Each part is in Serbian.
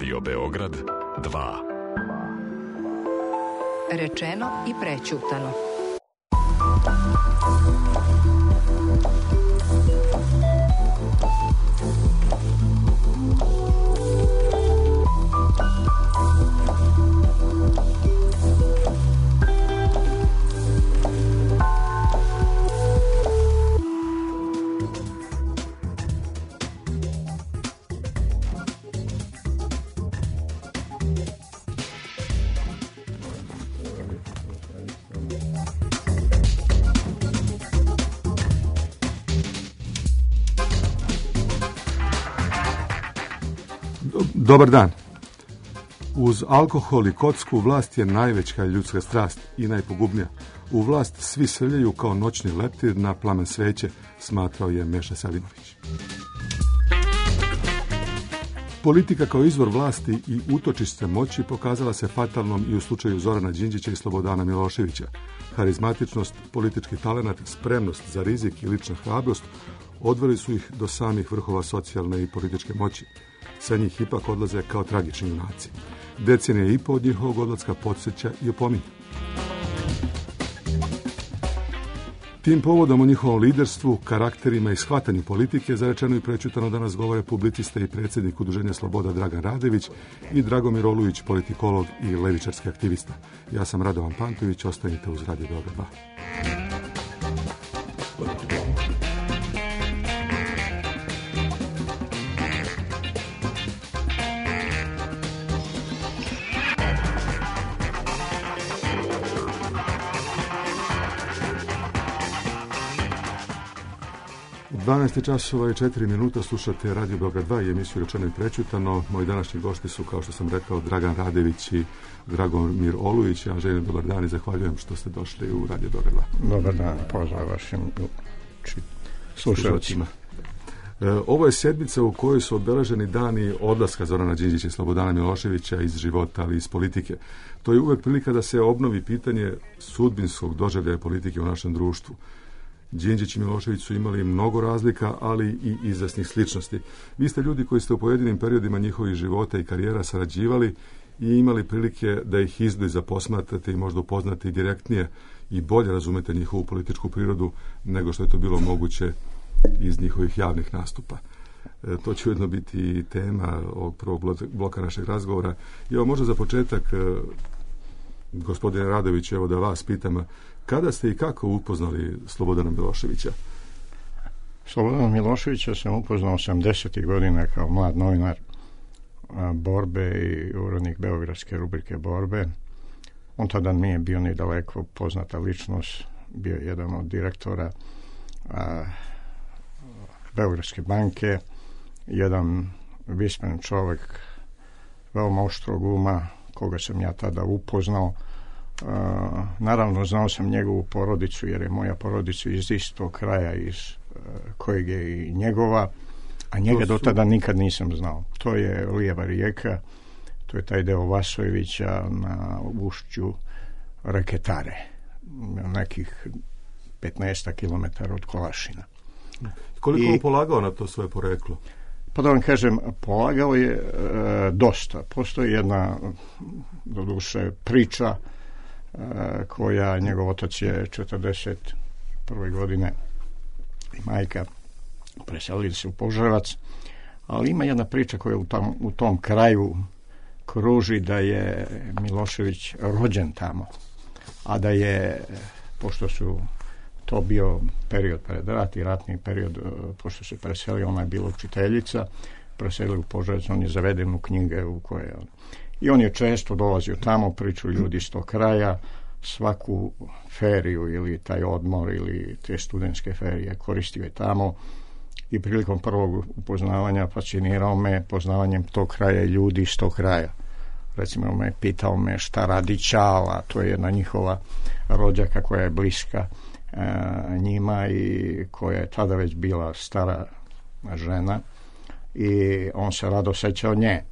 Radio Beograd 2. Rečeno i prećutano. Dobar dan. Uz alkohol i kocku vlast je najveća ljudska strast i najpogubnija. U vlast svi srljaju kao noćni leptir na plamen sveće, smatrao je Meša Selimović. Politika kao izvor vlasti i utočište moći pokazala se fatalnom i u slučaju Zorana Đinđića i Slobodana Miloševića. Harizmatičnost, politički talenat, spremnost za rizik i lična hrabrost odveli su ih do samih vrhova socijalne i političke moći. Sa njih ipak odlaze kao tragični junaci. Decenija i po od njihovog odlaska podsjeća i opominja. Tim povodom o njihovom liderstvu, karakterima i shvatanju politike zarečeno i prećutano danas govore publicista i predsjednik Udruženja Sloboda Dragan Radević i Dragomir Olujić, politikolog i levičarski aktivista. Ja sam Radovan Pantović, ostanite uz Radio Beograd 2. 12 časova i 4 minuta slušate Radio Beograd 2 i emisiju Rečeno i prećutano. Moji današnji gosti su, kao što sam rekao, Dragan Radević i Dragomir Olujić. Ja želim dobar dan i zahvaljujem što ste došli u Radio Beograd 2. Dobar dan, pozdrav vašim slušalcima. Ovo je sedmica u kojoj su obeleženi dani odlaska Zorana Đinđića i Slobodana Miloševića iz života, ali iz politike. To je uvek prilika da se obnovi pitanje sudbinskog doživljaja politike u našem društvu. Đinđić i Milošević su imali mnogo razlika, ali i izvesnih sličnosti. Vi ste ljudi koji ste u pojedinim periodima njihovih života i karijera sarađivali i imali prilike da ih izbliza posmatrate i možda upoznate direktnije i bolje razumete njihovu političku prirodu nego što je to bilo moguće iz njihovih javnih nastupa. To će ujedno biti tema ovog prvog bloka našeg razgovora. I evo možda za početak, gospodine Radović, evo da vas pitam, kada ste i kako upoznali Slobodana Miloševića? Slobodana Miloševića sam upoznao 80. godina kao mlad novinar Borbe i urednik beogradske rubrike Borbe. On tada nije bio ni daleko poznata ličnost, bio je jedan od direktora Beogradske banke, jedan vismen čovjek, veoma oštrog uma, koga sam ja tada upoznao. Naravno, znao sam njegovu porodicu, jer je moja porodica iz istog kraja iz kojeg je i njegova, a njega do tada nikad nisam znao. To je lijeva rijeka, to je taj deo Vasojevića na ušću reke Tare, nekih 15 kilometara od Kolašina. Koliko je polagao na to svoje poreklo? Pa da vam kažem, polagao je dosta. Postoji jedna, doduše, priča koja njegov otac je 41. godine i majka preselili se u Požarevac, ali ima jedna priča koja u tom kraju kruži da je Milošević rođen tamo, a da je, pošto su to bio period pred rat i ratni period, pošto se preselio, ona je bila učiteljica, preselili u Požarevac, on je zaveden u knjige u koje i on je često dolazio tamo, priču ljudi iz tog kraja, svaku feriju ili taj odmor ili te studentske ferije koristio je tamo i prilikom prvog upoznavanja fascinirao me poznavanjem tog kraja i ljudi iz tog kraja. Recimo pitao me šta radi Čala, to je jedna njihova rođaka koja je bliska njima i koja je tada već bila stara žena i on se rado sećao nje.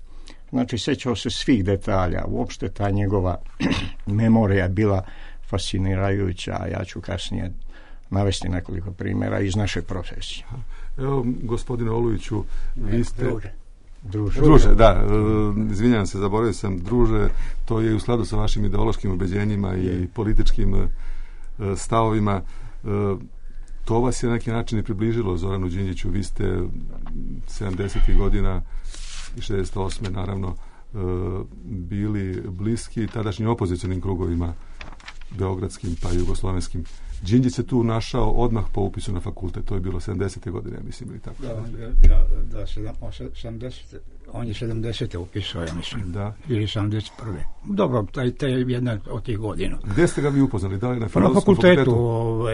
Znači, sećao se svih detalja. Uopšte ta njegova memorija bila fascinirajuća, a ja ću kasnije navesti nekoliko primjera iz naše profesije. Evo, gospodine Olujiću, vi ste... Druže, da, izvinjavam se, zaboravio sam, druže, to je u skladu sa vašim ideološkim ubeđenjima i političkim stavovima. To vas je na neki način i približilo Zoranu Đinđiću. Vi ste 70. godina i 68. naravno bili bliski tadašnjim opozicionim krugovima beogradskim pa jugoslovenskim. Đinđić se tu našao odmah po upisu na fakultet. To je bilo 70. godine, mislim, ili tako? Da, 70. On je 70. upisao, ja mislim. Da. Ili 71. Dobro, to je jedna od tih godina. Gde ste ga vi upoznali? Da li na Filozofskom fakultetu?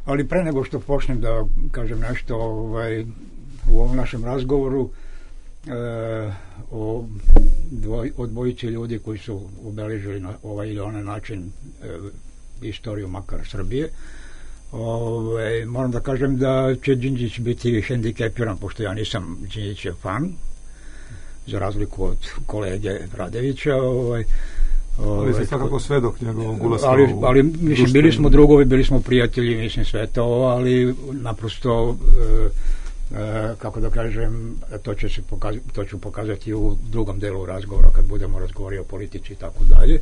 Ali pre nego što počnem da kažem nešto u ovom našem razgovoru o dvojici ljudi koji su obeležili na ovaj ili onaj način istoriju makar Srbije. Moram da kažem da će Đinđić biti hendikepiran, pošto ja nisam Đinđićev fan, za razliku od kolege Radevića. Ali se svakako svedok njegovog ulaska ali mislim, bili smo drugovi, bili smo prijatelji, mislim, sve to, ali naprosto kako da kažem, to ću pokazati u drugom delu razgovora kad budemo razgovarali o politici i tako dalje.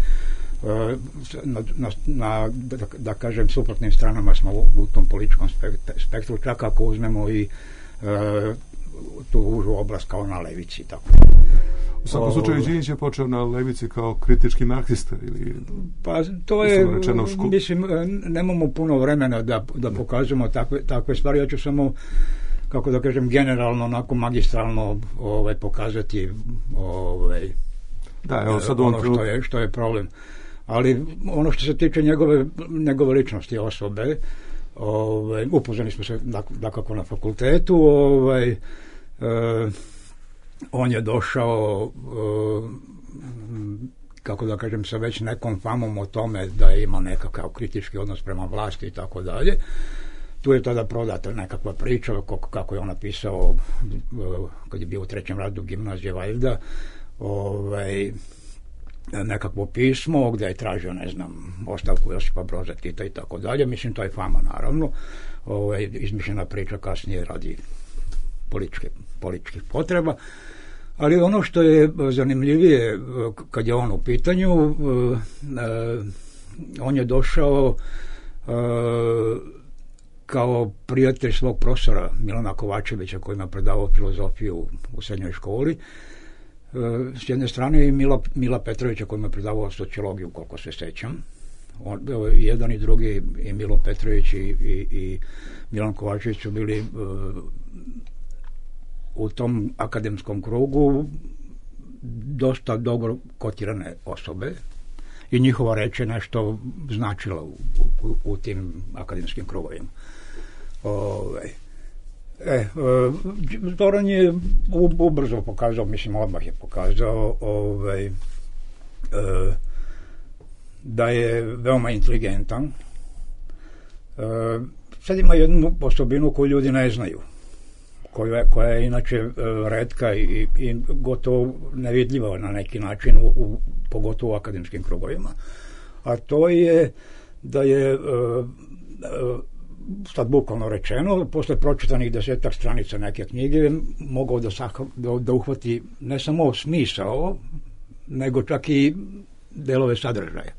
Da kažem, suprotnim stranama smo u tom političkom spektru, čak ako uzmemo i tu užu oblast kao na levici. Tako. U svakom slučaju Đinđić je počeo na levici kao kritički marksista ili... Pa to je, mislim, nemamo puno vremena da pokažemo takve stvari. Ja ću samo, kako da kažem, generalno, onako magistralno pokazati da, evo sad što je problem. Ali ono što se tiče njegove ličnosti, osobe, upoznali smo se dakako na fakultetu, on je došao kako da kažem sa već nekom famom o tome da ima nekakav kritički odnos prema vlasti i tako dalje. Tu je tada prodata nekakva priča kako je on napisao kad je bio u 3. razredu gimnazije valjda nekakvo pismo gdje je tražio, ne znam, ostavku Josipa Broza Tita i tako dalje. Mislim, to je fama, naravno. Izmišljena priča kasnije radi političkih potreba. Ali ono što je zanimljivije kad je on u pitanju, on je došao kao prijatelj svog profesora Milana Kovačevića koji ima predavao filozofiju u srednjoj školi. S jedne strane i Mila Petrovića koji ima predavao sociologiju, koliko se sećam. Jedan i drugi, i Milo Petrović i Milan Kovačević su bili u tom akademskom krugu dosta dobro kotirane osobe i njihova reč je nešto značila u tim akademskim krugovima. Zoran je ubrzo pokazao, mislim odmah je pokazao da je veoma inteligentan. Sad ima jednu osobinu koju ljudi ne znaju, koja je inače retka i gotovo nevidljiva na neki način, pogotovo u akademskim krugovima. A to je da je sad bukvalno rečeno, posle pročitanih 10 stranica neke knjige mogao da uhvati ne samo smisao, nego čak i delove sadržaja.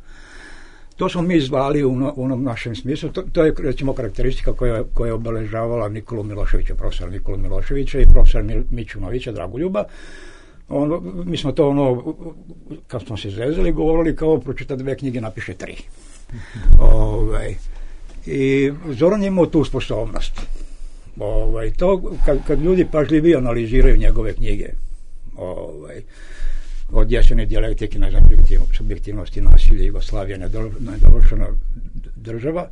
To smo mi zvali u onom našem smislu. To je, recimo, karakteristika koja je obeležavala Nikolu Miloševića, profesora Nikolu Miloševića i profesora Mićunovića, Dragoljuba. Mi smo to, kad smo se zezali, govorili kao pročita 2 knjige, napiše 3. I Zoran je imao tu sposobnost. To, kad ljudi pažljivije analiziraju njegove knjige, od Jesene dijalektike, ne znam, subjektivnosti, nasilje, Jugoslavija, nedovršena država,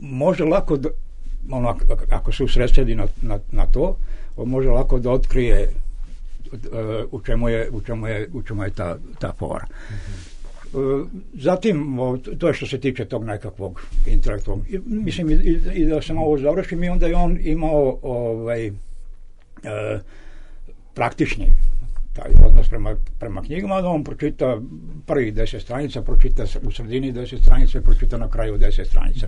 može lako, ako se usredsredi na to, može lako da otkrije u čemu je ta fora. Zatim, to je što se tiče tog nekakvog intelektualnog. Mislim, i da sam ovo završim, i onda je on imao praktični taj odnos prema knjigama, da on pročita prvih 10 stranica, pročita u sredini 10 stranica i pročita na kraju 10 stranica.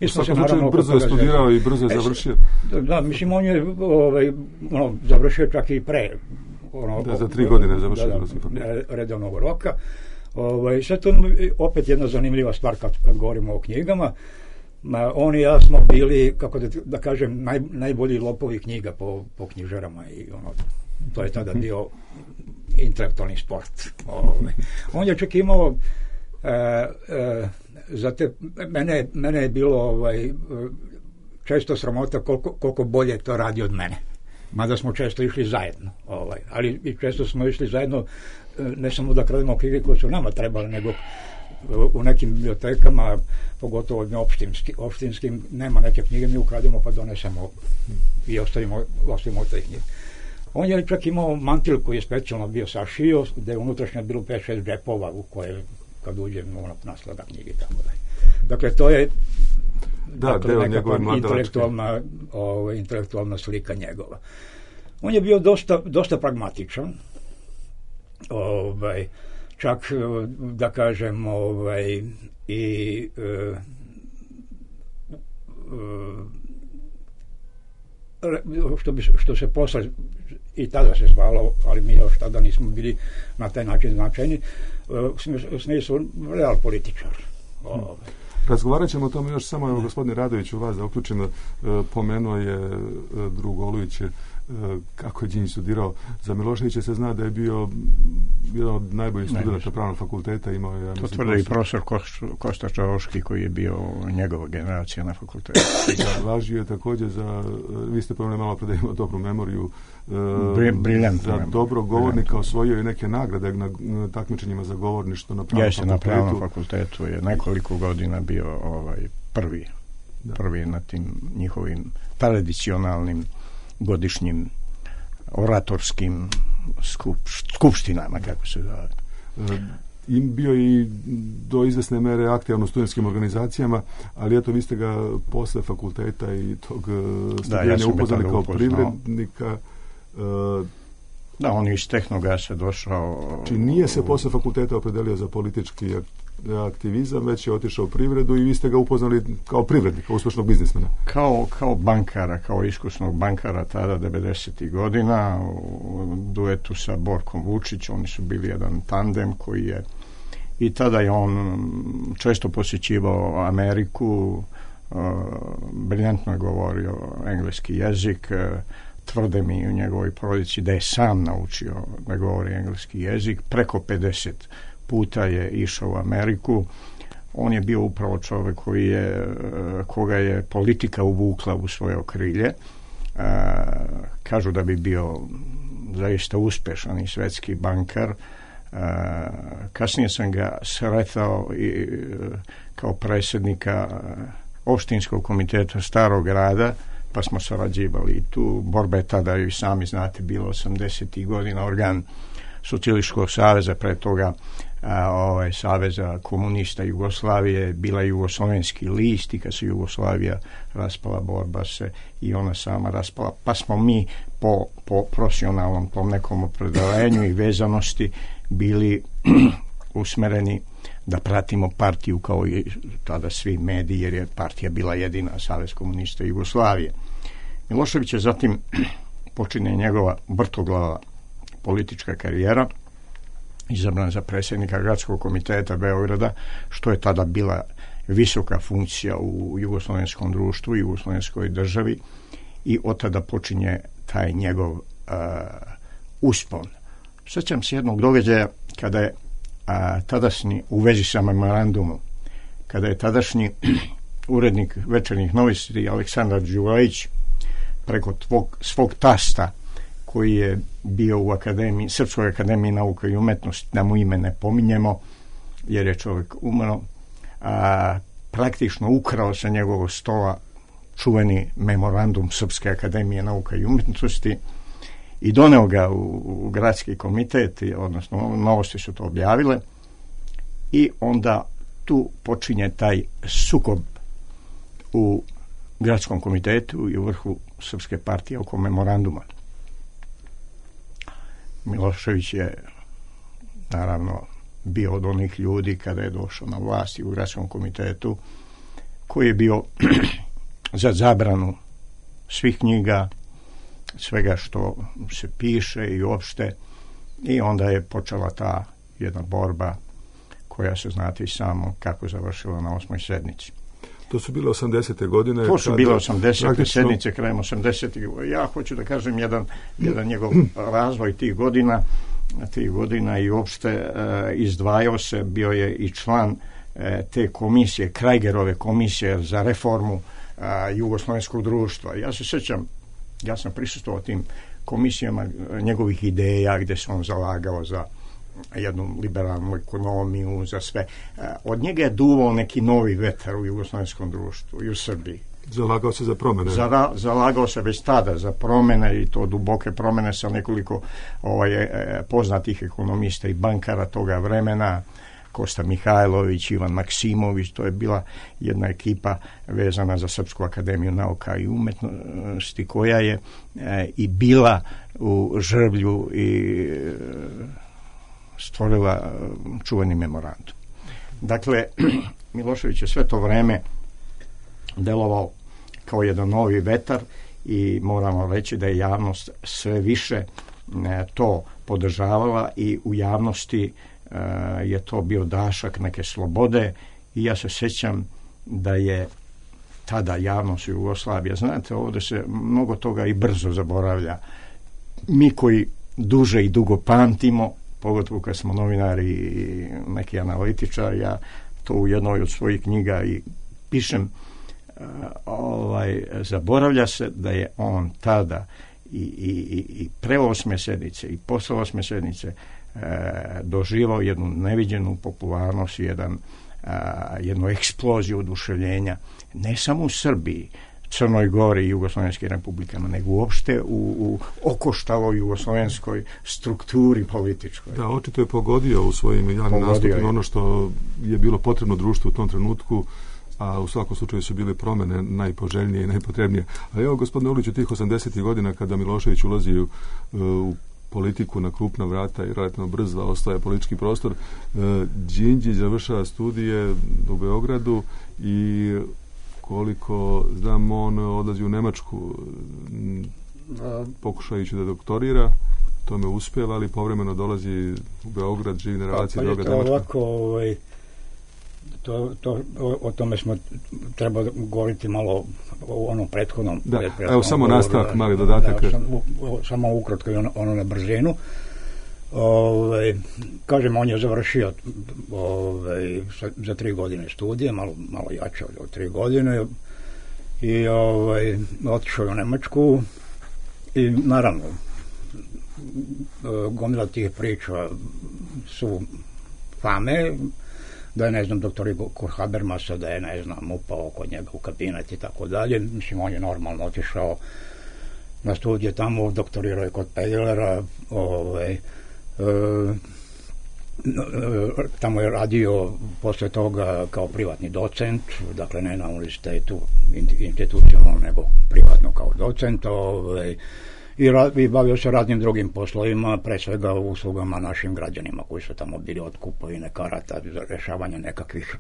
U svakom slučaju brzo je studirao i brzo je završio. Da, mislim, on je završio čak i pre. Za 3 godine završio. Redovnog roka. Sad to opet jedna zanimljiva stvar kad govorimo o knjigama. On i ja smo bili, kako da kažem, najbolji lopovi knjiga po knjižarama i to je tada bio intelektualni sport. On je čak imao mene je bilo često sramota koliko bolje to radi od mene. Mada smo često išli zajedno. Ali i često smo išli zajedno ne samo da krademo knjige koje su nama trebali, nego u nekim bibliotekama, pogotovo opštinskim, nema neke knjige, mi ukrademo pa donesemo i ostavimo te knjige. On je čak imao mantil koji je specijalno bio sašio, gde je unutrašnje bilo 5-6 džepova u koje kad uđe naslada knjige tamo. Dakle, to je nekakva intelektualna slika njegova. On je bio dosta pragmatičan, čak da kažem i što se posle i tada se zvalo, ali mi još tada nismo bili na taj način značajni, u smislu real političar. Razgovarat ćemo o tome još samo, evo, gospodine Radoviću, vas da uključimo, pomenuo je drug Olujić kako je Đinđić studirao. Za Miloševića se zna da je bio jedan od najboljih studenta pravnog fakulteta. To tvrde i profesor Kosta Čavoški koji je bio njegova generacija na fakultetu. Važio je također vi ste pomenuli malo pre da ima dobru memoriju, za dobrog govornika, osvojio je neke nagrade na takmičenjima za govorništvo na pravnom fakultetu. Na pravnom fakultetu je nekoliko godina bio prvi na tim njihovim tradicionalnim godišnjim oratorskim skupštinama, kako se zove. Bio i do izvesne mere aktivan u studentskim organizacijama, ali eto, vi ste ga posle fakulteta i tog studiranja upoznali kao privrednika. Da, on je iz Tehnogasa došao. Či nije se posle fakulteta opredelio za politički aktivizam, već je otišao u privredu i vi ste ga upoznali kao privrednika, uspešnog biznismena. Kao bankara, kao iskusnog bankara tada 90. godina u duetu sa Borkom Vučić. Oni su bili jedan tandem koji je i tada je on često posjećivao Ameriku, briljantno je govorio engleski jezik, tvrde mi u njegovoj porodici da je sam naučio da govori engleski jezik, preko 50 puta je išao u Ameriku. On je bio upravo čovjek koga je politika uvukla u svoje okrilje. Kažu da bi bio zaista uspešan i svetski bankar. Kasnije sam ga sretao kao predsjednika opštinskog komiteta Starog grada, pa smo sarađivali i tu. Borba je tada, i sami znate, bilo 80. godina, organ Socijalističkog saveza, pre toga Saveza komunista Jugoslavije, bila Jugoslovenski list, i kad se Jugoslavija raspala, borba se i ona sama raspala, pa smo mi po profesionalnom tom nekom opredelenju i vezanosti bili usmereni da pratimo partiju kao i tada svi mediji, jer je partija bila jedina, Savez komunista Jugoslavije. Milošević je zatim počinje njegova vrtoglava politička karijera, izabran za predsjednika Gradskog komiteta Beograda, što je tada bila visoka funkcija u jugoslovenskom društvu, jugoslovenskoj državi, i od tada počinje taj njegov uspon. Sjećam se jednog događaja kada je tadašnji, u vezi sa memorandumom, kada je tadašnji urednik Večernjih novosti Aleksandar Đurajić preko svog tasta, koji je bio u Srpskoj akademiji nauka i umetnosti, da mu ime ne pominjemo jer je čovjek umro, praktično ukrao sa njegovog stola čuveni memorandum Srpske akademije nauka i umetnosti i doneo ga u gradski komitet, odnosno novosti su to objavile, i onda tu počinje taj sukob u gradskom komitetu i u vrhu Srpske partije oko memoranduma. Milošević je naravno bio od onih ljudi kada je došao na vlast u gradskom komitetu koji je bio za zabranu svih knjiga, svega što se piše i uopšte, i onda je počela ta jedna borba koja se znate i samo kako završila na 8. sednici. To su bile 80. godine. To su bile 80. sednice, krajem 80. Ja hoću da kažem jedan njegov razvoj tih godina i uopšte izdvajao se, bio je i član te komisije, Krajgerove komisije za reformu jugoslovenskog društva. Ja se sjećam, ja sam prisustvovao tim komisijama njegovih ideja gdje se on zalagao za jednu liberalnu ekonomiju, za sve. Od njega je duvao neki novi vetar u jugoslovenskom društvu i u Srbiji. Zalagao se za promjene. Zalagao se već tada za promjene, i to duboke promjene sa nekoliko poznatih ekonomista i bankara toga vremena, Kosta Mihajlović, Ivan Maksimović. To je bila jedna ekipa vezana za Srpsku akademiju nauka i umetnosti, koja je i bila u Žrvlju i stvorila čuveni memorandum. Dakle, Milošević je sve to vreme delovao kao jedan novi vetar i moramo reći da je javnost sve više to podržavala i u javnosti je to bio dašak neke slobode. I ja se sjećam da je tada javnost Jugoslavije, znate, ovdje se mnogo toga i brzo zaboravlja. Mi koji duže i dugo pamtimo, pogotovo kad smo novinari i neki analitičari, ja to u jednoj od svojih knjiga i pišem, zaboravlja se da je on tada i pre 8. sednice i posle 8. sednice doživao jednu neviđenu popularnost, jednu eksploziju oduševljenja, ne samo u Srbiji, Crnoj Gori i jugoslovenskim republikama, nego uopšte u okoštaloj jugoslovenskoj strukturi političkoj. Da, očito je pogodio u svojim javnim nastupima ono što je bilo potrebno društvu u tom trenutku, a u svakom slučaju su bile promjene najpoželjnije i najpotrebnije. A evo, gospodine Uliću, tih 80. godina kada Milošević ulazi u politiku na krupna vrata i relativno brzo ostaje politički prostor, Đinđić završava studije u Beogradu i koliko znam, on odlazi u Nemačku pokušajući da doktorira. To me uspjeva, ali povremeno dolazi u Beograd, živi na relaciji Beograd-Nemačka. Ovako, o tome smo trebali govoriti malo o onom prethodnom. Da, evo samo nastavak, mali dodatak. Samo ukratko i ono na brzinu. Kažem, on je završio za 3 godine studije, malo jače od 3 godine, i otišao u Nemačku i naravno gomila tih priča su fame, da je, ne znam, doktor Igor Habermasa, da je, ne znam, upao kod njega u kabinet i tako dalje. Mislim, on je normalno otišao na studije tamo, doktorirao je kod Pegelera, tamo je radio posle toga kao privatni docent, dakle ne na univerzitetu institucionalno, nego privatno kao docent, i bavio se raznim drugim poslovima, pre svega uslugama našim građanima koji su tamo bili, od kupovine karata za rešavanje nekakvih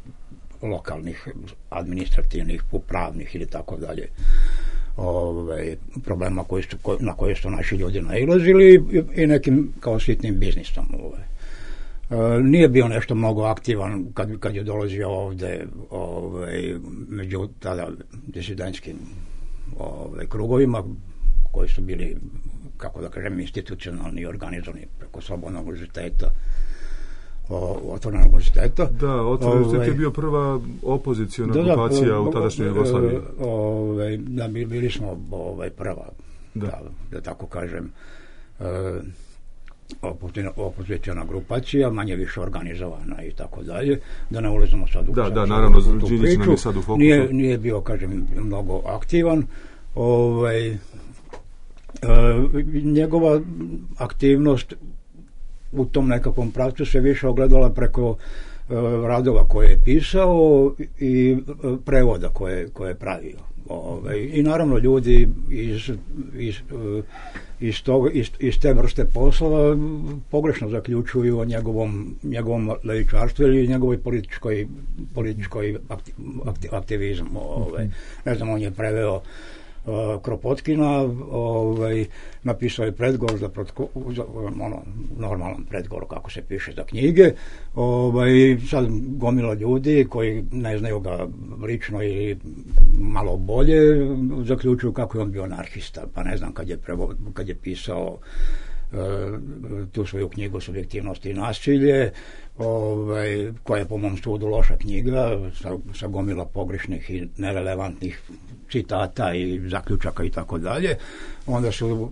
lokalnih, administrativnih, upravnih ili tako dalje problema na koje su naši ljudi nailazili, i nekim kao sitnim biznisom. Nije bio nešto mnogo aktivan kad je dolazio ovde među tada disidentskim krugovima koji su bili, kako da kažem, institucionalni i organizovani preko Slobodnog univerziteta, Otvorenog univerziteta. Da, Otvoreni univerzitet je bio prva opoziciona grupacija u tadašnjoj Jugoslaviji. Da, bili smo prva, da tako kažem, opoziciona grupacija, manje više organizovana i tako dalje, da ne ulazimo sad u da, naravno, Đinđić nam je sad u fokusu. Nije bio, kažem, mnogo aktivan. Njegova aktivnost u tom nekakvom pravcu se više ogledala preko radova koje je pisao i prevoda koje je pravio. I naravno ljudi iz te vrste posla pogrešno zaključuju o njegovom levičarstvu ili njegovoj političkoj aktivizmu. Ne znam, on je preveo Kropotkina, napisao je predgovor za normalan predgovor kako se piše za knjige. Sad gomila ljudi koji ne znaju ga lično ili malo bolje zaključuju kako je on bio anarhista, pa ne znam kad je pisao tu svoju knjigu Subjektivnost i nasilje, koja je po mom sudu loša knjiga sa gomila pogrešnih i nerelevantnih citata i zaključaka i tako dalje. Onda su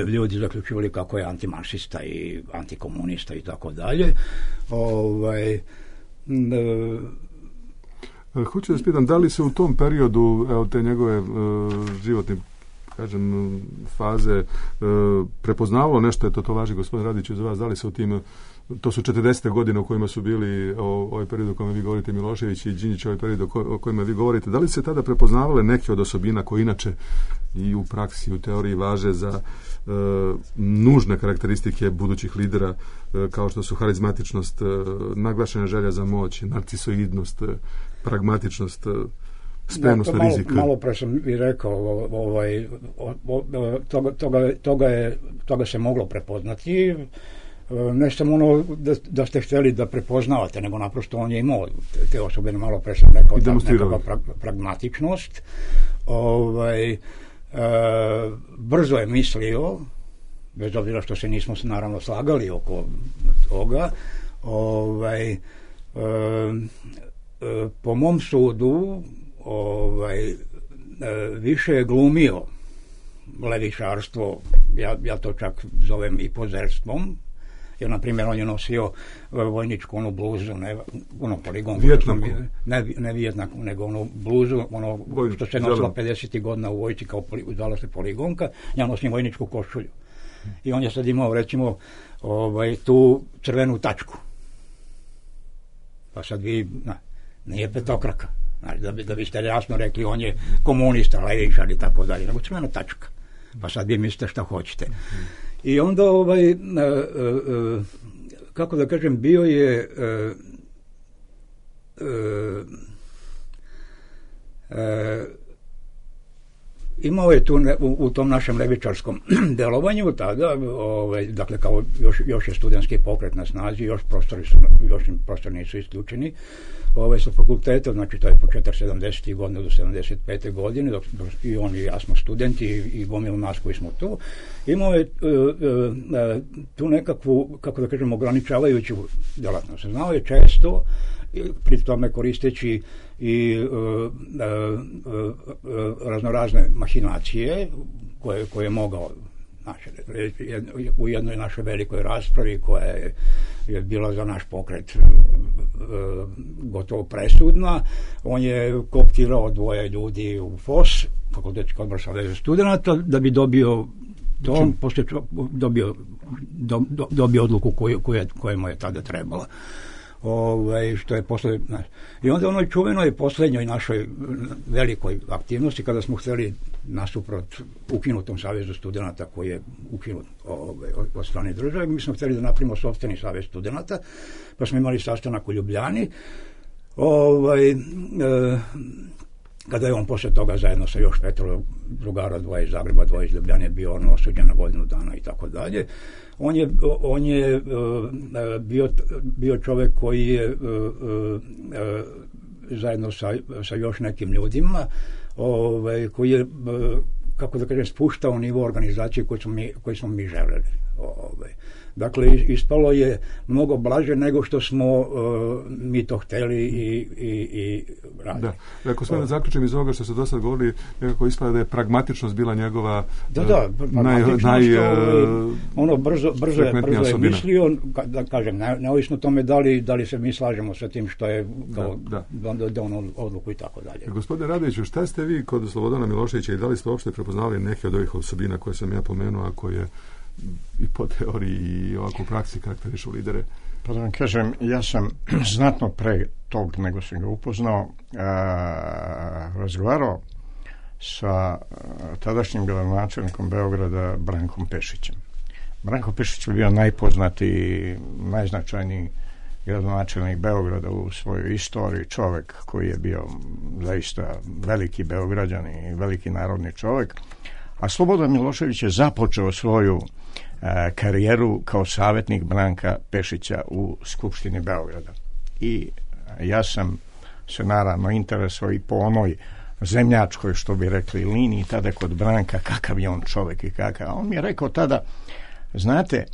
ljudi zaključivali kako je antimarksista i antikomunista i tako dalje. Hoću da spitam, da li se u tom periodu te njegove životne faze prepoznavalo nešto, to važi gospodin Radić iz vas, da li se u tim, to su 40. godine u kojima su bili ovaj period o kojem vi govorite, Milošević i Đinđić, ovaj period o kojima vi govorite, da li se tada prepoznavale neke od osobina koje inače i u praksi, u teoriji važe za nužne karakteristike budućih lidera, kao što su harizmatičnost, naglašena želja za moć, narcisoidnost, pragmatičnost, spremnost na rizik? Malo pre sam i rekao, toga se moglo prepoznati. Ne samo ono da ste htjeli da prepoznavate, nego naprosto on je imao te osobe, malo pre sam rekao, nekakva pragmatičnost. Brzo je mislio, bez obzira što se nismo naravno slagali oko toga. Po mom sudu više je glumio levičarstvo, ja to čak zovem i pozerstvom, jer na primjer on je nosio vojničku onu bluzu, ono poligonku, ne vijetnaku, nego onu bluzu, ono što se nosilo 50. godina u vojci, kao zvala se poligonka, ja nosim vojničku košulju. I on je sad imao, recimo, tu crvenu tačku. Pa sad vi, nije petokraka. Da biste jasno rekli, on je komunista, levičar i tako dalje, nego crvena tačka. Pa sad vi mislite šta hoćete. I onda, kako da kažem, bio je imao je tu u tom našem levičarskom delovanju tada, dakle kao još je studentski pokret na snazi, još prostori nisu isključeni sa fakulteta, znači to je početak 70. godine do 75. godine, i on i ja smo studenti i gomilu nas koji smo tu. Imao je tu nekakvu, kako da kažem, ograničavajuću djelatnost. Znao je često, pri tome koristeći i raznorazne mahinacije koje je mogao u jednoj našoj velikoj raspravi koja je bila za naš pokret gotovo presudna. On je kooptirao 2 ljudi u FOS, Fakultetski odbor Saveza studenata, da bi dobio to, poslije dobio odluku koja mu je tada trebala. Što je posle, i onda onoj čuvenoj posljednjoj našoj velikoj aktivnosti, kada smo htjeli nasuprot ukinutom Savezu studenata koji je ukinut od strane države, mi smo htjeli da napravimo sopstveni Savez studenata, pa smo imali sastanak u Ljubljani, kada je on poslije toga zajedno sa još 5 drugara, 2 iz Zagreba, 2 iz Ljubljane, bio on osuđen na godinu dana i tako dalje. On je bio čovjek koji je zajedno sa još nekim ljudima, koji je, kako da kažem, spuštao nivo organizacije koji smo mi želeli. Dakle, ispalo je mnogo blaže nego što smo mi to htjeli i radili. Da, ako smo da zaključim iz ovoga što ste do sad govorili, nekako ispada da je pragmatičnost bila njegova ono brzo je mislio, da kažem, neovisno tome da li se mi slažemo sa tim što je donio odluku i tako dalje. Gospodine Radoviću, šta ste vi kod Slobodana Miloševića i da li ste uopšte prepoznali neke od ovih osobina koje sam ja pomenuo, a koje i po teoriji i ovako u praksi karakterišu lidere? Pa da vam kažem, ja sam znatno pre tog nego sam ga upoznao razgovarao sa tadašnjim gradonačelnikom Beograda Brankom Pešićem. Branko Pešić je bio najpoznatiji, najznačajniji gradonačelnik Beograda u svojoj istoriji, čovjek koji je bio zaista veliki Beograđan i veliki narodni čovjek, a Slobodan Milošević je započeo svoju karijeru kao savjetnik Branka Pešića u Skupštini Beograda. I ja sam se naravno interesovao i po onoj zemljačkoj, što bi rekli, liniji tada kod Branka, kakav je on čovjek i kakav. A on mi je rekao tada, znate,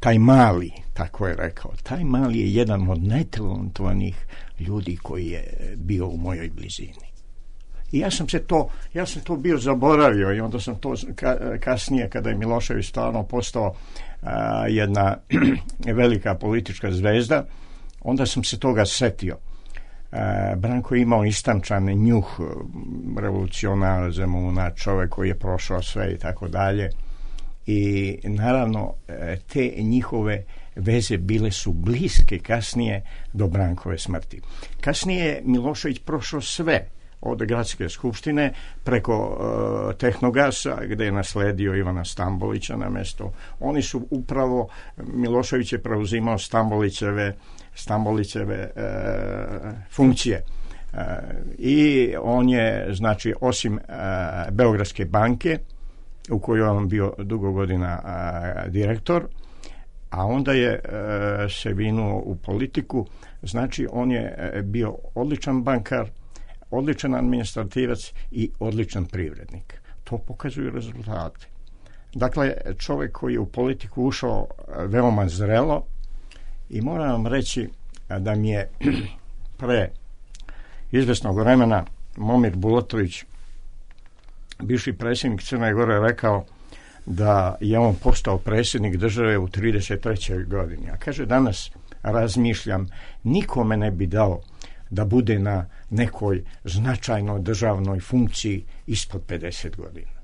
taj Mali, tako je rekao, taj Mali je jedan od najtalentovanijih ljudi koji je bio u mojoj blizini. I ja sam to bio zaboravio i onda sam to kasnije, kada je Milošević stvarno postao jedna velika politička zvezda, onda sam se toga setio. Branko je imao istančan njuh revolucionara, Zemuna, čovjek koji je prošao sve i tako dalje. I naravno te njihove veze bile su bliske kasnije do Brankove smrti. Kasnije je Milošević prošao sve, od gradske skupštine preko Tehnogasa, gdje je nasledio Ivana Stambolića na mjesto. Oni su upravo, Milošević je preuzimao Stambolićeve funkcije. I on je, znači, osim Beogradske banke, u kojoj on bio dugo godina direktor, a onda je se vinuo u politiku, znači on je bio odličan bankar, odličan administrativac i odličan privrednik. To pokazuju rezultate. Dakle, čovjek koji je u politiku ušao veoma zrelo i moram vam reći da mi je pre izvesnog vremena Momir Bulatović, bivši predsjednik Crne Gore, rekao da je on postao predsjednik države u 33. godini. A kaže, danas razmišljam, nikome ne bi dao da bude na nekoj značajnoj državnoj funkciji ispod 50 godina.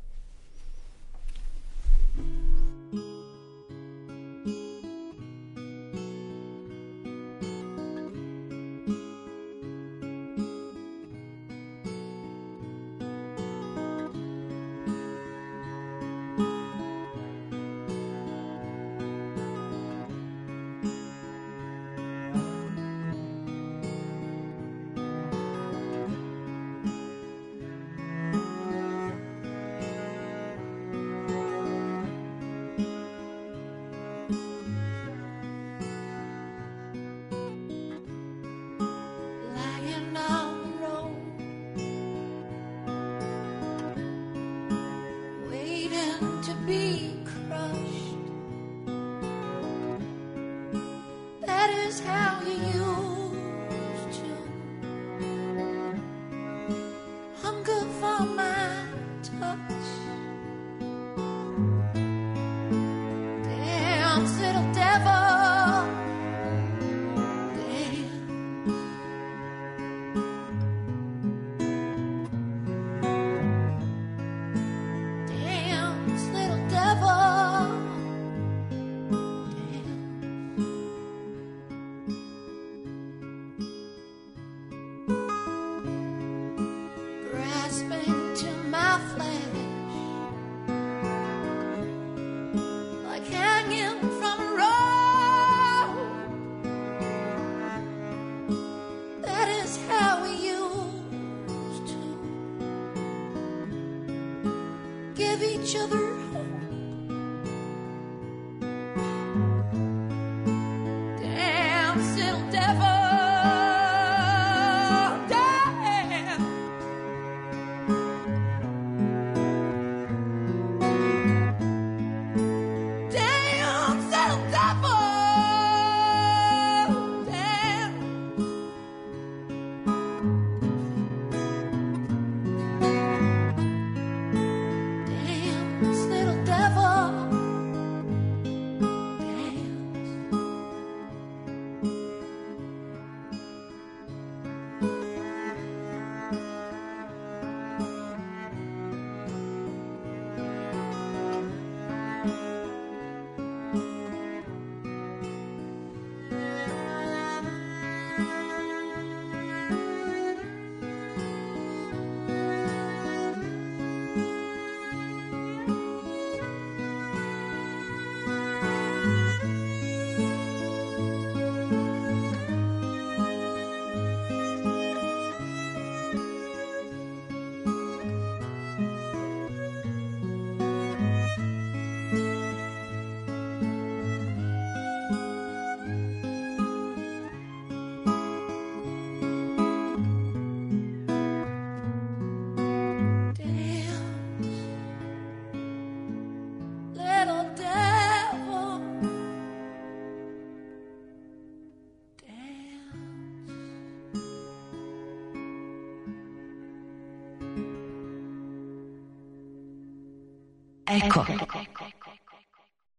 Eko.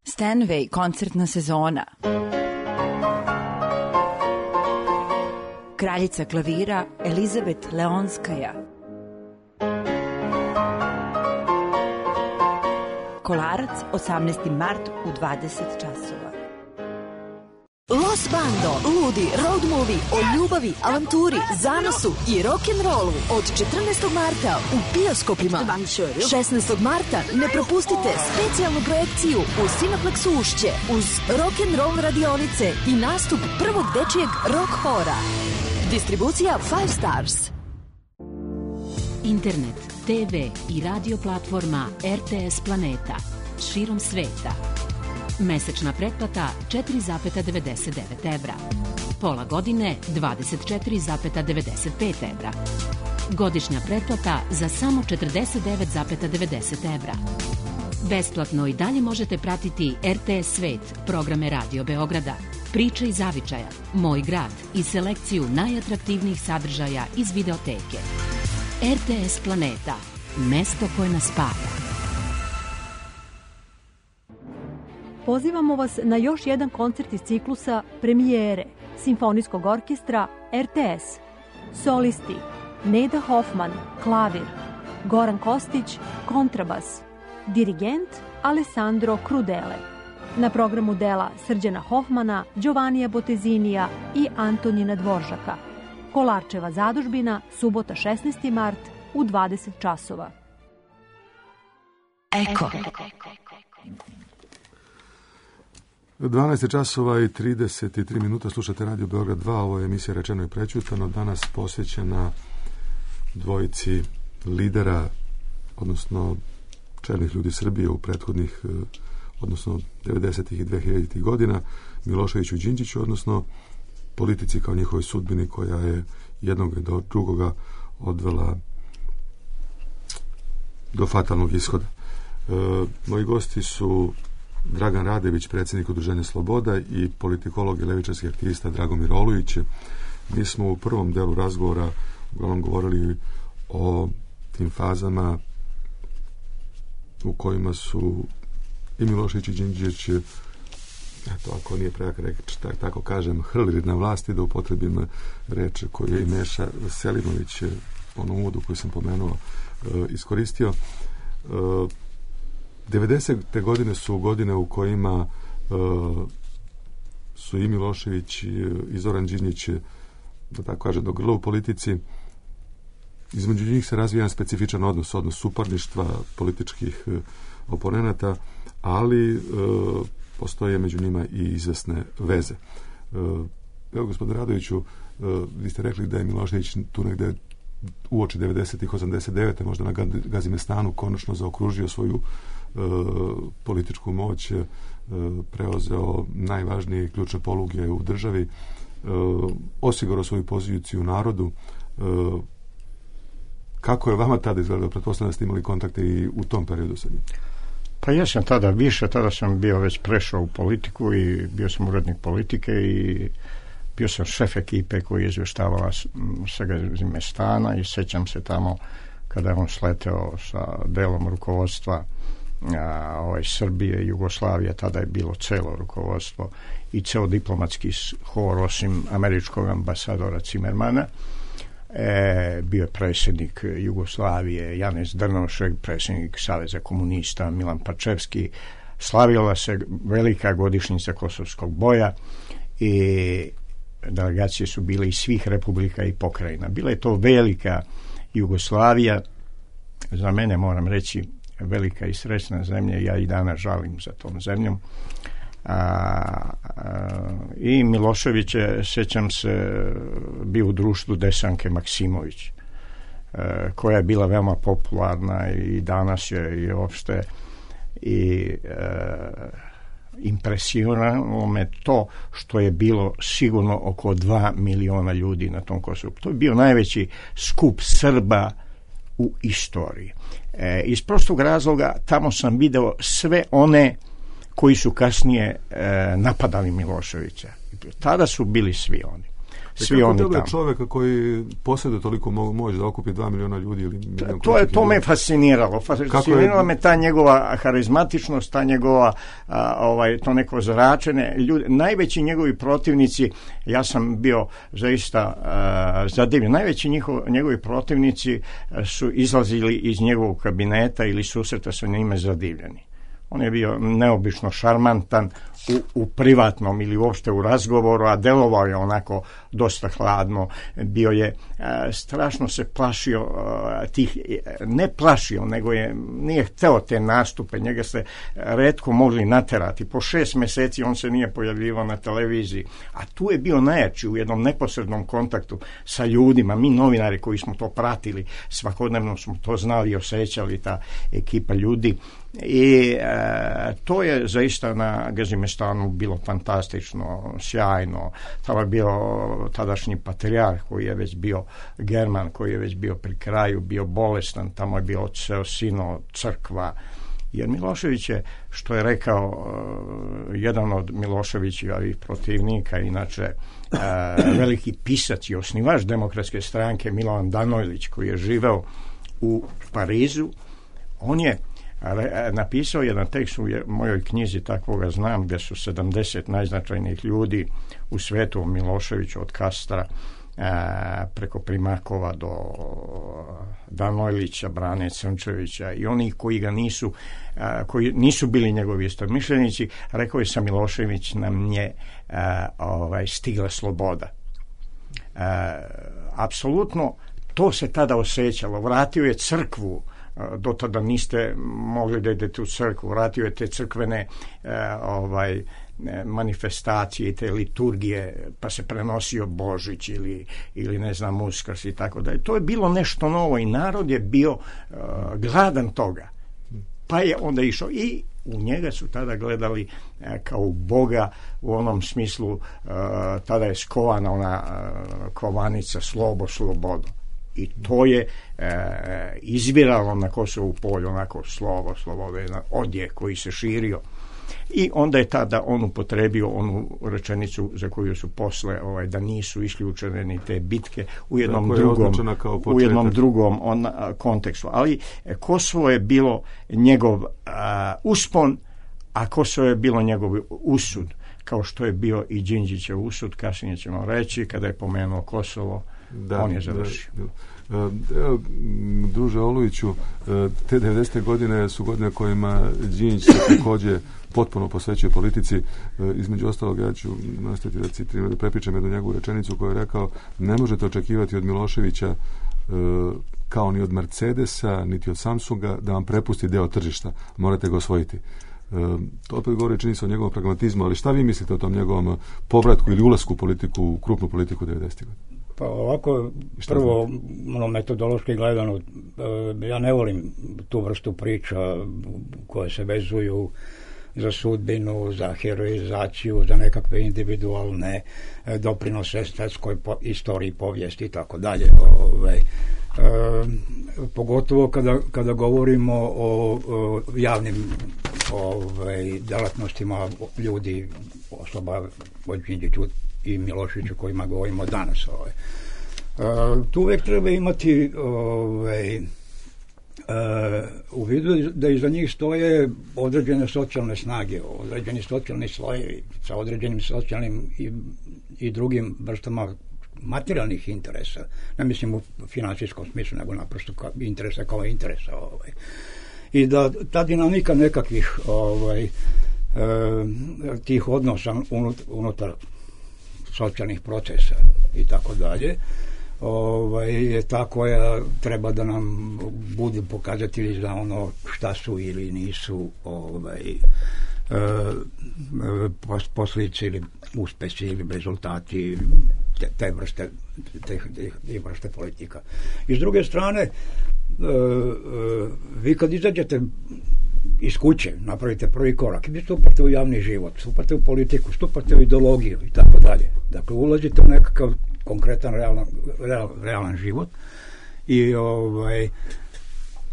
Stanway koncertna sezona. Kraljica klavira Elizabet Leonskaja. Kolarac, 18. mart u 20 časova. Los Bando, ludi road movie o ljubavi, avanturi, zanosu i rock'n'rollu od 14. marta u bioskopima. 16. marta ne propustite specijalnu projekciju u Cineplexu Ušće uz rock'n'roll radionice i nastup prvog dečijeg rock hora. Distribucija 5 Stars. Internet, TV i radio platforma RTS Planeta širom sveta. Mesečna pretplata 4,99 evra. Pola godine 24,95 evra. Godišnja pretplata za samo 49,90 evra. Besplatno i dalje možete pratiti RTS Svet, programe Radio Beograda, Priče iz Zavičaja, Moj grad i selekciju najatraktivnijih sadržaja iz videoteke. RTS Planeta, mesto koje nas spaja. Pozivamo vas na još jedan koncert iz ciklusa Premijere Simfonijskog orkestra RTS. Solisti Neda Hoffman, klavir, Goran Kostić, kontrabas, dirigent Alessandro Crudele. Na programu dela Srđana Hoffmana, Giovannija Botezinija i Antonina Dvoržaka. Kolarčeva zadužbina, subota 16. mart u 20 časova. Eko. 12 časova i 33 minuta, slušate Radio Beograd 2, ovo je emisija Rečeno i prećutano, danas posvećena dvojici lidera, odnosno čelnih ljudi Srbije u prethodnih, odnosno 90. i 2000. godina, Miloševiću i Đinđiću, odnosno politici kao njihovoj sudbini koja je jednog do drugoga odvela do fatalnog ishoda. Moji gosti su Dragan Radević, predsjednik Udruženja Sloboda, i politikolog i levičarski aktivista Dragomir Olujić. Mi smo u prvom delu razgovora uglavnom govorili o tim fazama u kojima su i Milošević i Đinđić, eto, ako nije prejak reč, tako kažem, hrlili na vlasti, da upotrebim reč koju je i Meša Selimović u onom uvodu koji sam pomenuo iskoristio. 90. godine su godine u kojima su i Milošević i Zoran Đinđić, da tako kažem, do grla u politici. Između njih se razvija jedan specifičan odnos suparništva političkih oponenata, ali postoje među njima i izvesne veze. Evo, gospodine Radoviću, vi ste rekli da je Milošević tu negde uoči 90-ih, 89. možda na Gazimestanu konačno zaokružio svoju političku moć, preuzeo najvažnije ključne poluge u državi, osigurao svoju poziciju u narodu. Kako je vama tada izgledalo? Pretpostavljam da ste imali kontakte i u tom periodu sa njim. Pa ja sam tada sam bio već prešao u politiku i bio sam urednik politike i bio sam šef ekipe koji je izvještavala sa Gazimestana i sjećam se tamo kada je on sleteo sa delom rukovodstva Srbije i Jugoslavije, tada je bilo celo rukovodstvo i ceo diplomatski hor osim američkog ambasadora Cimermana. Bio je predsjednik Jugoslavije Janez Drnovšek, predsjednik Saveza komunista Milan Pačevski. Slavila se velika godišnjica Kosovskog boja i delegacije su bile iz svih republika i pokrajina. Bila je to velika Jugoslavija, za mene, moram reći, velika i srećna zemlja. Ja i danas žalim za tom zemljom. I Milošević je, sjećam se, bio u društvu Desanke Maksimović, koja je bila veoma popularna i danas je i uopšte i impresioniralo me to što je bilo sigurno oko 2 miliona ljudi na tom Kosovu. To je bio najveći skup Srba u istoriji. Iz prostog razloga tamo sam video sve one koji su kasnije napadali Miloševića. Tada su bili svi oni. svi oni tamo. Čovjeka koji posjeduje toliko moć da okupi 2 miliona ljudi ili to me fasciniralo. Fascinirala me ta njegova harizmatičnost, ta njegova to neko zračenje. Najveći njegovi protivnici, ja sam bio zaista zadivljen, najveći njegovi protivnici su izlazili iz njegovog kabineta ili susreta sa njime zadivljeni. On je bio neobično šarmantan u privatnom ili uopšte u razgovoru, a delovao je onako dosta hladno. Bio je, strašno se plašio tih, ne plašio, nego nije hteo te nastupe, njega ste retko mogli naterati. Po 6 mjeseci on se nije pojavljivao na televiziji, a tu je bio najjači u jednom neposrednom kontaktu sa ljudima. Mi novinari koji smo to pratili, svakodnevno smo to znali i osjećali, ta ekipa ljudi. I to je zaista na Gazimestanu bilo fantastično, sjajno. Tamo je bio tadašnji patrijarh koji je već bio German, koji je već bio pri kraju, bio bolestan, tamo je bio odseo sino, crkva. Jer Milošević je, što je rekao jedan od Miloševićevih protivnika, inače veliki pisac i osnivač Demokratske stranke, Milovan Danojlić, koji je živeo u Parizu, on je napisao jedan tekst u mojoj knjizi, takvoga znam, gdje su 70 najznačajnijih ljudi u svetu, Miloševiću od Kastra preko Primakova do Danojlića, Brane Crnčevića i oni koji nisu bili njegovi istomišljenici. Rekao je sa Milošević nam je stigla sloboda. Apsolutno to se tada osjećalo. Vratio je crkvu. Do tada niste mogli da idete u crkvu. Vratio je te crkvene manifestacije i te liturgije, pa se prenosio Božić ili ne znam Uskrs i tako dalje. To je bilo nešto novo i narod je bio gladan toga. Pa je onda išao i u njega su tada gledali kao u Boga u onom smislu, tada je skovana ona kovanica slobodo. I to je izviralo na Kosovu polju, onako slovo, odjek koji se širio. I onda je tada on upotrebio onu rečenicu za koju su posle da nisu isključene ni te bitke u jednom drugom kontekstu. Ali Kosovo je bilo njegov uspon, a Kosovo je bilo njegov usud, kao što je bio i Đinđićev usud, kasnije ćemo reći, kada je pomenuo Kosovo. On je završio. Druže Olujiću, te 90. godine su godine kojima Đinđić se također potpuno posvećuje politici. Između ostalog, ja ću nastaviti da citiram, da prepričam jednu njegovu rečenicu koju je rekao: ne možete očekivati od Miloševića kao ni od Mercedesa, niti od Samsunga da vam prepusti deo tržišta. Morate ga osvojiti. To opet govori čini se o njegovom pragmatizmu, ali šta vi mislite o tom njegovom povratku ili ulasku u politiku, u krupnu politiku 90. godina? Pa ovako, prvo, metodološki gledano, ja ne volim tu vrstu priča koje se vezuju za sudbinu, za heroizaciju, za nekakve individualne doprinose svetskoj istoriji, povijesti i tako dalje. Pogotovo kada govorimo o javnim djelatnostima ljudi, osoba od Đinđiću i Miloševiću kojima govorimo danas. Tu uvijek treba imati u vidu da iza njih stoje određene socijalne snage, određeni socijalni slojevi sa određenim socijalnim i drugim vrstama materijalnih interesa. Ne mislim u financijskom smislu, nego naprosto interesa kao interesa. I da ta dinamika nekakvih tih odnosa unutar socijalnih procesa i tako dalje je ta koja treba da nam budu pokazatelji za ono šta su ili nisu posljedice ili uspesi ili rezultati te vrste politika. I s druge strane, vi kad izađete iz kuće, napravite prvi korak, vi stupate u javni život, stupate u politiku, stupate u ideologiju i tako dalje. Dakle, ulazite u nekakav konkretan realan život i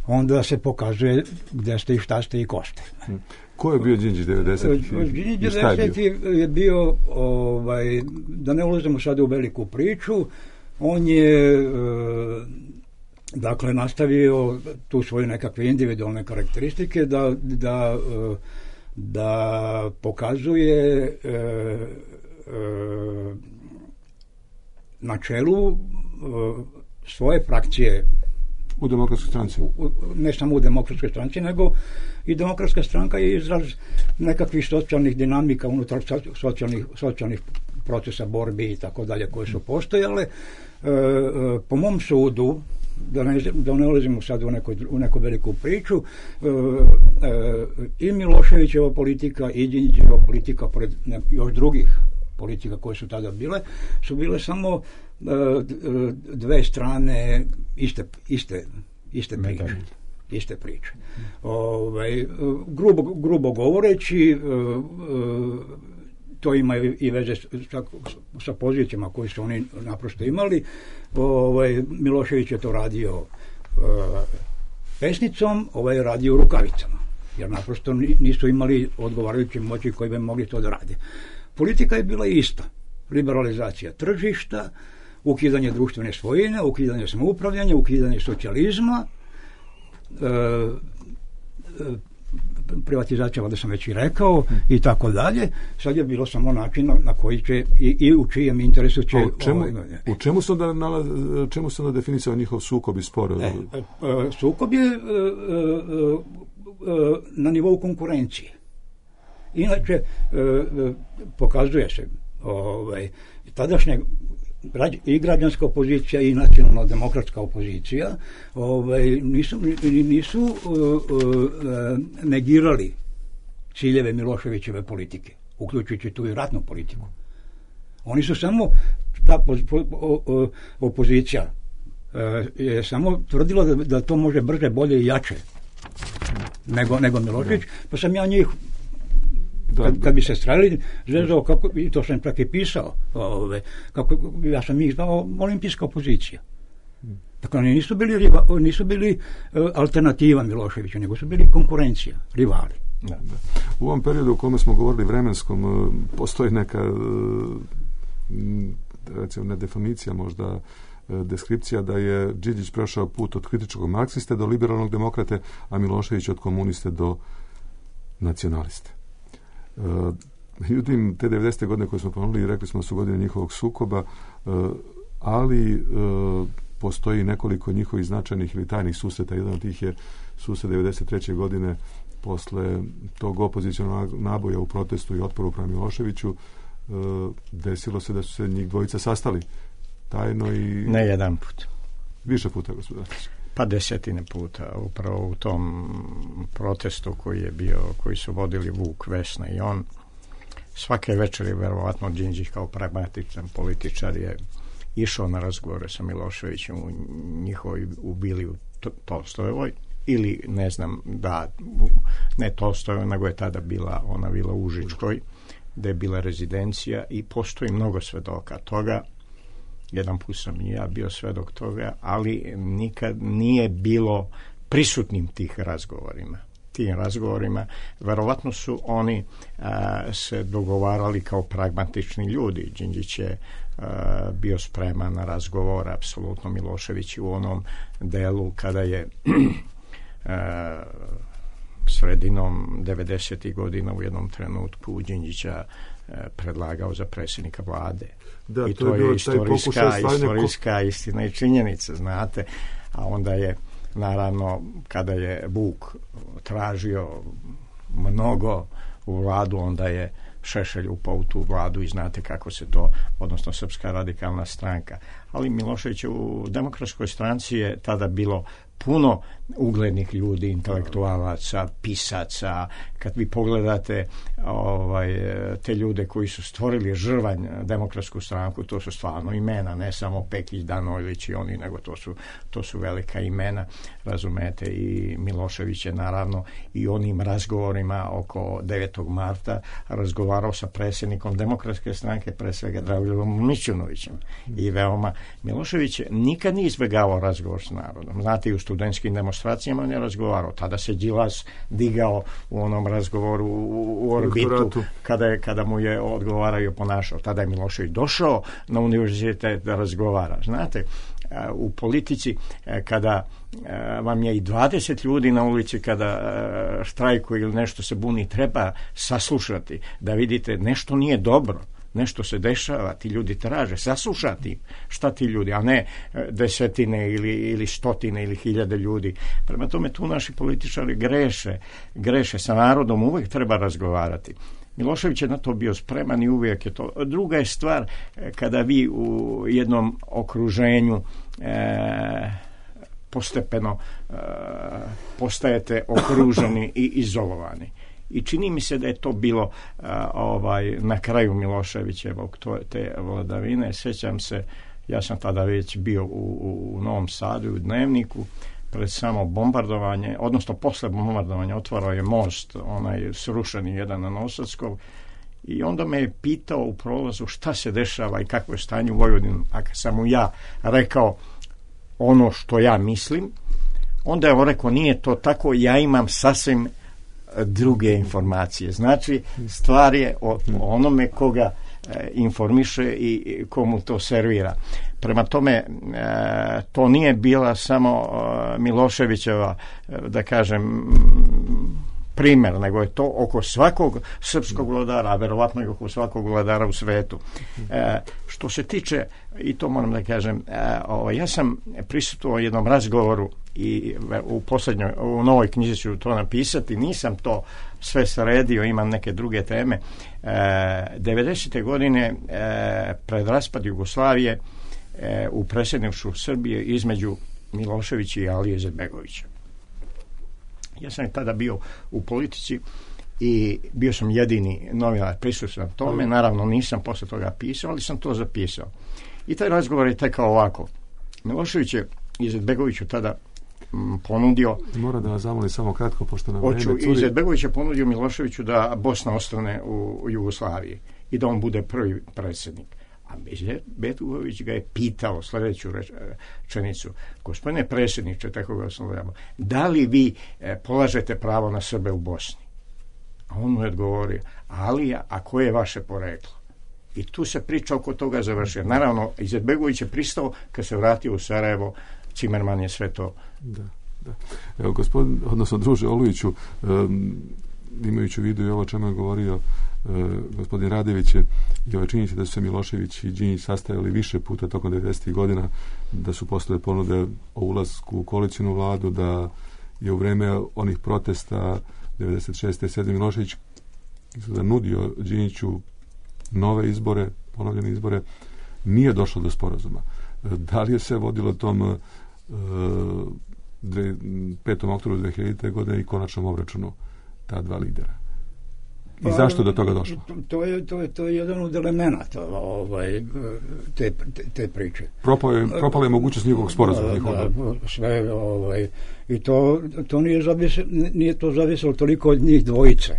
onda se pokazuje gdje ste i šta ste i ko ste. Ko je bio Đinđić 90-ih? Đinđić 90-ih je bio, da ne ulazimo sada u veliku priču, on je dakle nastavio tu svoje nekakve individualne karakteristike da pokazuje na čelu svoje frakcije u Demokratskoj stranci. Ne samo u Demokratskoj stranci, nego i Demokratska stranka je izraz nekakvih socijalnih dinamika unutar socijalnih procesa borbi i tako dalje koje su postojale. Po mom sudu, da ne ulazimo sad u neku veliku priču, i Miloševićeva politika i Đinđićeva politika, pored još drugih politika koje su tada bile, su bile samo dve strane iste priče. Grubo govoreći, to ima i veze sa pozicijama koje su oni naprosto imali. Milošević je to radio pesnicom, je radio rukavicama, jer naprosto nisu imali odgovarajuće moći koji bi mogli to da rade. Politika je bila ista. Liberalizacija tržišta, ukidanje društvene svojine, ukidanje samoupravljanja, ukidanje socijalizma, privatizacija, valjda sam već i rekao, i tako dalje. Sad je bilo samo način na koji će i u čijem interesu će... U čemu se onda definisao njihov sukob i spor? Sukob je na nivou konkurencije. Inače, pokazuje se tadašnja i građanska opozicija i nacionalno-demokratska opozicija nisu negirali ciljeve Miloševićeve politike, uključujući tu i ratnu politiku. Oni su samo, ta opozicija je samo tvrdila da to može brže, bolje i jače nego Milošević, pa sam ja njih kad bi se strelili, zvezao, i to sam čak i pisao, ja sam ih zvao olimpijska opozicija. Dakle, oni nisu bili alternativa Miloševiću, nego su bili konkurencija, rivali. U ovom periodu u kome smo govorili vremenskom, postoji neka, recimo, ne definicija, možda deskripcija da je Đinđić prošao put od kritičkog marksiste do liberalnog demokrate, a Milošević od komuniste do nacionaliste. Međutim, te 90. godine koje smo ponovili, rekli smo da su godine njihovog sukoba, ali postoji nekoliko njihovih značajnih ili tajnih susreta. Jedan od tih je susret 93. godine posle tog opozicionalnog naboja u protestu i otporu prema Miloševiću. Desilo se da su se njih dvojica sastali tajno i... Ne jedan put. Više puta, gospodine. Pa desetine puta, upravo u tom protestu koji su vodili Vuk, Vesna i on. Svake večeri, verovatno, Đinđić kao pragmatičan političar je išao na razgovore sa Miloševićem u Bili u Tolstojevoj, ili ne znam, ne Tolstojevoj, nego je tada ona bila u Užičkoj, gde je bila rezidencija i postoji mnogo svedoka toga. Jedan put sam i ja bio svedok toga, ali nikad nije bilo prisutnim tim razgovorima. Verovatno su oni se dogovarali kao pragmatični ljudi. Đinđić je bio spreman na razgovor, apsolutno. Milošević u onom delu kada je sredinom 90. godina u jednom trenutku Đinđića predlagao za predsjednika vlade. Da, i to je istorijska istina i činjenica, znate. A onda je, naravno, kada je Vuk tražio mnogo u vladu, onda je Šešelj upao u tu vladu i znate kako se to, odnosno Srpska radikalna stranka. Ali Milošević u Demokratskoj stranci je tada bilo puno uglednih ljudi, intelektualaca, pisaca. Kad vi pogledate te ljude koji su stvorili Žrvanj, Demokratsku stranku, to su stvarno imena, ne samo Pekić, Danojlić i oni, nego to su velika imena, razumete. I Milošević je naravno i onim razgovorima oko 9. marta razgovarao sa predsjednikom Demokratske stranke, pre svega Dragoljubijem Mićunovićem. I veoma Milošević nikad nije izbjegavao razgovor s narodom. Znate, i u studentskim demonstracijama on je razgovarao. Tada se Đilas digao u onom razgovoru u orbitu kada mu je odgovarao i ponašao. Tada je Milošević došao na univerzitet da razgovara. Znate, u politici kada vam je i 20 ljudi na ulici kada štrajkuje ili nešto se buni, treba saslušati da vidite nešto nije dobro, nešto se dešava, ti ljudi traže, saslušati šta ti ljudi, a ne desetine ili stotine ili hiljade ljudi. Prema tome tu naši političari greše, sa narodom uvijek treba razgovarati. Milošević je na to bio spreman i uvijek je to. Druga je stvar kada vi u jednom okruženju postepeno postajete okruženi i izolovani. I čini mi se da je to bilo na kraju Miloševićevog te vladavine. Sjećam se, ja sam tada već bio u Novom Sadu u Dnevniku pred samo bombardovanje, odnosno posle bombardovanja otvarao je most, onaj srušeni jedan na Nosackov, i onda me je pitao u prolazu šta se dešava i kakvo je stanje u Vojvodini. A kad sam mu ja rekao ono što ja mislim, onda je on rekao nije to tako, ja imam sasvim druge informacije. Znači, stvar je o onome koga informiše i komu to servira. Prema tome, to nije bila samo Miloševićeva, da kažem, primjer, nego je to oko svakog srpskog vladara, a verovatno i oko svakog vladara u svetu. Što se tiče, i to moram da kažem, ja sam prisustvovao jednom razgovoru i u novoj knjizi ću to napisati, nisam to sve sredio, imam neke druge teme. 90. godine pred raspad Jugoslavije u predsjedništvu Srbije između Miloševića i Alije Izetbegovića. Ja sam tada bio u politici i bio sam jedini novinar prisutan tome. Naravno nisam posle toga pisao, ali sam to zapisao. I taj razgovor je tekao ovako. Milošević je Izetbegoviću tada ponudio... Mora da vas zamolim samo kratko, pošto nam vreme curi. Izetbegović je ponudio Miloševiću da Bosna ostane u Jugoslaviji i da on bude prvi predsjednik. A Izetbegović ga je pitao sljedeću rečenicu: gospodine predsjedniče, tako ga sam gledao, da li vi polažete pravo na Srbe u Bosni? A on mu je odgovorio: Alija, a koje je vaše poreklo? I tu se priča oko toga završila. Naravno, Izetbegović je pristao, kad se vratio u Sarajevo, Cimerman je sve to... Da. Evo, druže Olujiću, imajući u vidu i ovo čemu je govorio gospodin Radević i ove činjenice da su se Milošević i Đinđić sastajali više puta tokom 90. godina, da su postojale ponude o ulasku u koalicijnu vladu, da je u vreme onih protesta 96. 7. Milošević nudio Đinđiću nove izbore, ponovljene izbore, nije došlo do sporazuma. Da li je se vodilo tom 5. oktobru 2000. godine i konačnom obračunu ta dva lidera? I zašto do toga došlo? To je jedan od elemenata te priče. Propala je mogućnost njihovog sporazuma. Sve, i to nije to zavisilo toliko od njih dvojice,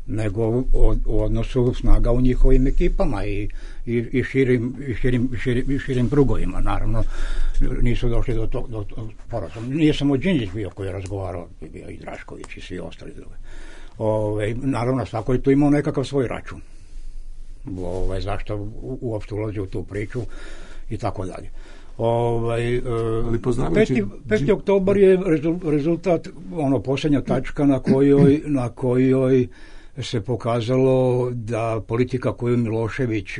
nego u odnosu snaga u njihovim ekipama i širim krugovima. Naravno, nisu došli do sporazuma. Nije samo Đinđić bio koji je razgovarao, bio i Drašković i svi ostali drugi. Naravno, svako je tu imao nekakav svoj račun. Zašto uopšte ulazi u tu priču i tako dalje. 5. oktobar je rezultat, posljednja tačka na kojoj se pokazalo da politika koju Milošević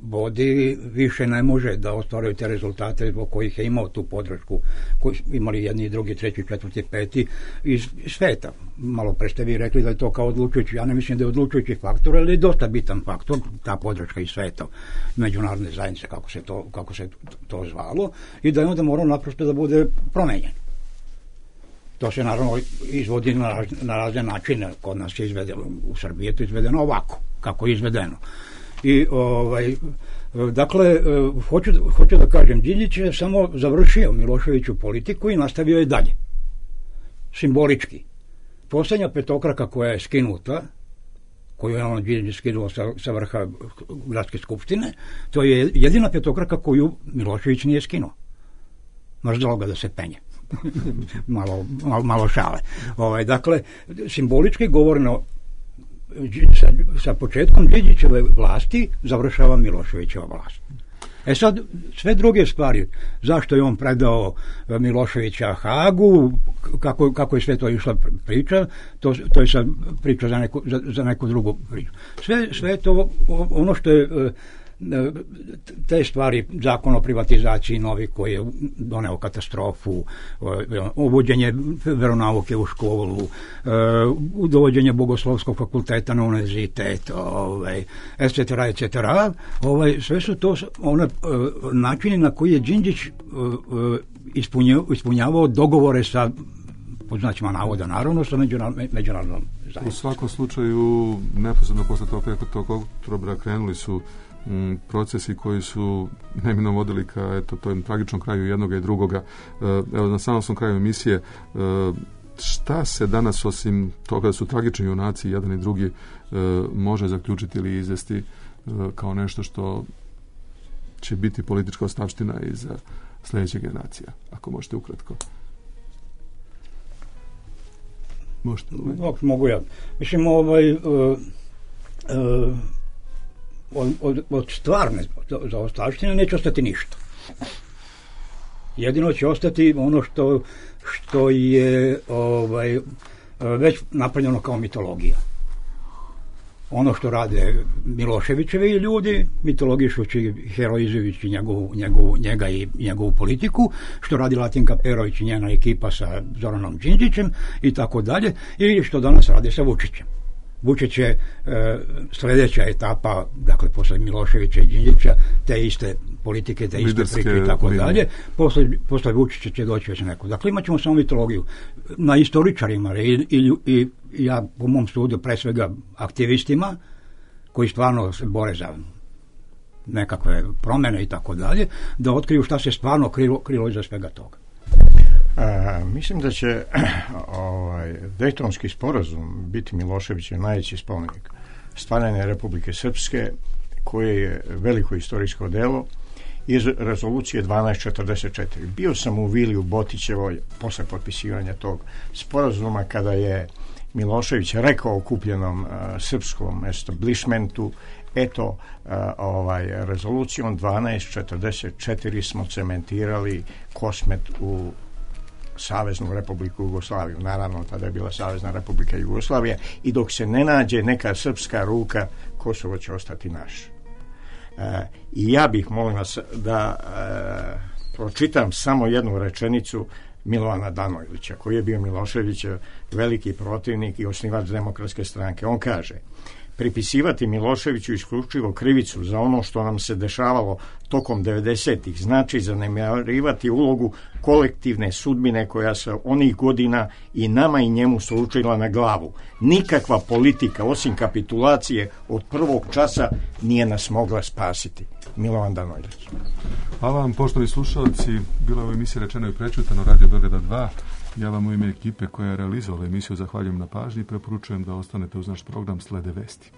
vodi više ne može da ostvaruje te rezultate zbog kojih je imao tu podršku koju imali jedni, drugi, treći, četvrti, peti iz sveta. Malo pre ste vi rekli da je to kao odlučujući, ja ne mislim da je odlučujući faktor, ali je dosta bitan faktor, ta podrška iz sveta, međunarodne zajednice, kako se to zvalo, i da je onda morao naprosto da bude promenjen. To se naravno izvodi na razne načine. Kod nas je izvedeno, u Srbiji je to izvedeno ovako, kako je izvedeno. I dakle, hoću da kažem, Đinđić je samo završio Miloševiću politiku i nastavio je dalje. Simbolički. Posljednja petokraka koja je skinuta, koju je on Đinđić skinuo sa vrha gradske skupštine, to je jedina petokraka koju Milošević nije skinuo. Mrzelo ga da se penje. malo šale. Dakle, simbolički govoreno, sa početkom Đinđićeve vlasti završava Miloševićeva vlast. Sad, sve druge stvari, zašto je on predao Miloševića Hagu, kako je sve to išla priča, to je sad priča za neku drugu priču. Sve je to ono što je te stvari, zakon o privatizaciji novi koji je doneo katastrofu, uvođenje veronauke u školu, dovođenje Bogoslovskog fakulteta na univerzitet, etc. Sve su to načini na koji je Đinđić ispunjavao dogovore sa, pod znacima navoda, naravno, sa međunarodnom zajednicom. U svakom slučaju, neposredno posle toga kako tog oktobra krenuli su procesi koji su neminovno vodili ka tom tragičnom kraju jednoga i drugoga. Evo, na samom kraju emisije, šta se danas, osim toga da su tragični junaci jedan i drugi, može zaključiti ili izvesti kao nešto što će biti politička ostavština i za sljedeće generacija, ako možete ukratko? Možete? Mogu ja. Mislim, od stvarne zaostavštine neće ostati ništa. Jedino će ostati ono što je već napravljeno kao mitologija. Ono što rade Miloševićevi ljudi, mitologišući, heroizujući njega i njegovu politiku, što radi Latinka Perović i njena ekipa sa Zoranom Đinđićem i tako dalje, i što danas rade sa Vučićem. Vučić je sljedeća etapa, dakle, posle Miloševića i Đinđića, te iste politike, te iste priče i tako dalje. Posle Vučića će doći već neko. Dakle, imat ćemo samo mitologiju. Na istoričarima i ja, po mom sudu, pre svega aktivistima, koji stvarno se bore za nekakve promjene i tako dalje, da otkriju šta se stvarno krilo iza svega toga. Mislim da će Dejtonski sporazum biti Miloševićev najveći spomenik stvaranja Republike Srpske, koje je veliko istorijsko delo, iz rezolucije 1244. Bio sam u Vili u Botićevoj posle potpisivanja tog sporazuma, kada je Milošević rekao okupljenom srpskom establishmentu: eto, rezolucijom 1244 smo cementirali Kosmet u Saveznu Republiku Jugoslaviju. Naravno, tada je bila Savezna Republika Jugoslavija, i dok se ne nađe neka srpska ruka, Kosovo će ostati naš. I ja bih, molim vas, da pročitam samo jednu rečenicu Milovana Danojlića, koji je bio Miloševićev veliki protivnik i osnivač Demokratske stranke. On kaže: pripisivati Miloševiću isključivo krivicu za ono što nam se dešavalo tokom 90-ih znači zanemarivati ulogu kolektivne sudbine koja se onih godina i nama i njemu sručila na glavu. Nikakva politika, osim kapitulacije od prvog časa, nije nas mogla spasiti. Milovan Danojlić. Hvala vam, poštovani slušalci. Bila je u emisiji Rečeno i prečutano, Radio Beograda 2. Ja vam u ime ekipe koja je realizovala emisiju zahvaljujem na pažnji i preporučujem da ostanete uz naš program. Slede vesti.